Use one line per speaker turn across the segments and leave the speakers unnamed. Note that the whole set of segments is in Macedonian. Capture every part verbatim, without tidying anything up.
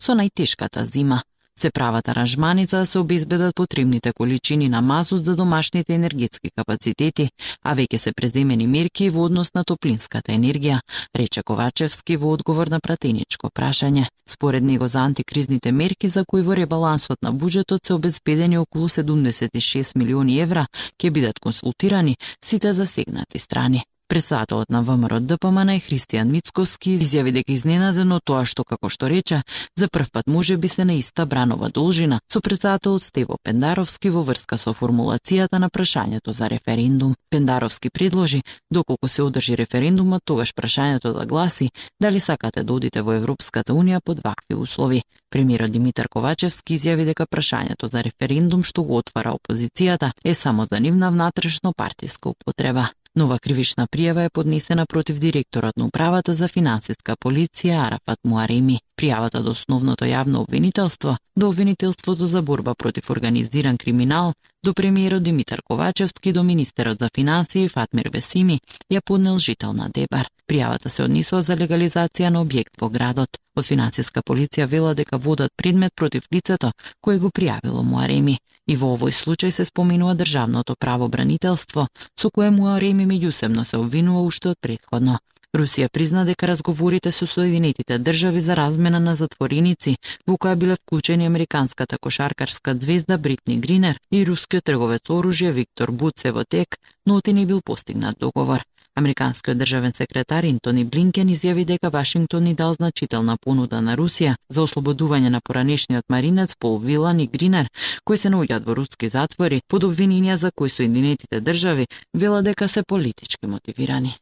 со најтешката зима. Се прават аранжмани за да се обезбедат потребните количини на мазут за домашните енергетски капацитети, а веќе се преземени мерки во однос на топлинската енергија, рече Ковачевски во одговор на пратеничко прашање. Според него за антикризните мерки за кои во ребалансот на буџетот се обезбедени околу седумдесет и шест милиони евра, ќе бидат консултирани сите засегнати страни. Председателот на ВМРО-ДПМН Христијан Мицковски изјави дека изненаден од тоа што, како што рече, за прв пат може би се на иста бранова должина со председателот Стево Пендаровски во врска со формулацијата на прашањето за референдум. Пендаровски предложи, доколку се одржи референдумот, тогаш прашањето да гласи дали сакате да одите во Европската унија под вакви услови. Премиерот Димитар Ковачевски изјави дека прашањето за референдум што го отвара опозицијата е само за нивна внатрешно партиска употреба. Нова кривична пријава е поднесена против директорот на управата за финансиска полиција Арафат Муареми. Пријавата до основното јавно обвинителство, до обвинителството за борба против организиран криминал, до премиерот Димитар Ковачевски, до министерот за финансии Фатмир Весими ја поднел жител на Дебар. Пријавата се однесува за легализација на објект во градот. Од финансиска полиција вела дека водат предмет против лицето кој го пријавило Муареми. И во овој случај се споменува државното правобранителство, со кое Муареми меѓусебно се обвинува уште од претходно. Русија призна дека разговорите со Соединетите држави за размена на затвореници, во која биле вклучени американската кошаркарска звезда Бритни Гринер и рускиот трговец оружје Виктор Буцевотек, но оти не бил постигнат договор. Американскиот државен секретар Ентони Блинкен изјави дека Вашингтон ни дал значителна понуда на Русија за ослободување на поранешниот маринец Пол Вилан и Гринер, кои се наоѓаат во руски затвори под обвиненија за кои Соединетите држави вела дека се политички мотивирани.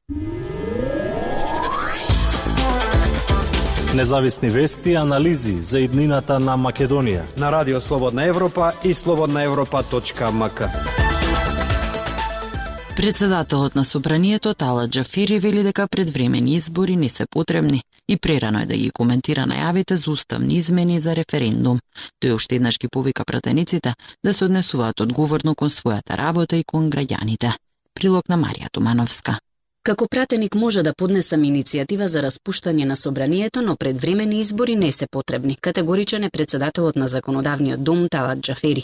Независни вести и анализи за иднината на Македонија
на Радио Слободна Европа и слободна европа точка ем ка.
Председателот на Собранието Талат Џафери вели дека предвремени избори не се потребни и прерано е да ги коментира најавите за уставни измени за референдум. Тој уште еднаш ги повика пратениците да се однесуваат одговорно кон својата работа и кон граѓаните. Прилог на Марија Тумановска.
Како пратеник може да поднесам иницијатива за распуштање на Собранието, но предвремени избори не се потребни, категоричен е председателот на Законодавниот дом Талат Џафери.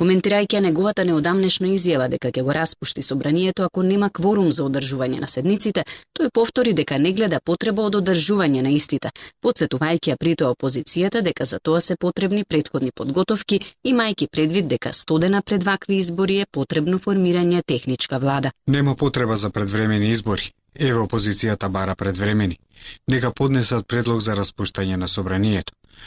Коментирајќи неговата неодамнешна изјава дека ќе го распушти Собранието ако нема кворум за одржување на седниците, тој повтори дека не гледа потреба од одржување на истите, потсетувајќи ја при тоа опозицијата дека за тоа се потребни претходни подготовки, имајќи предвид дека стодена пред вакви избори е потребно формирање техничка влада.
Нема потреба за предвремени избори. Еве опозицијата бара предвремени. Нека поднесат предлог за распуштање на Собранието.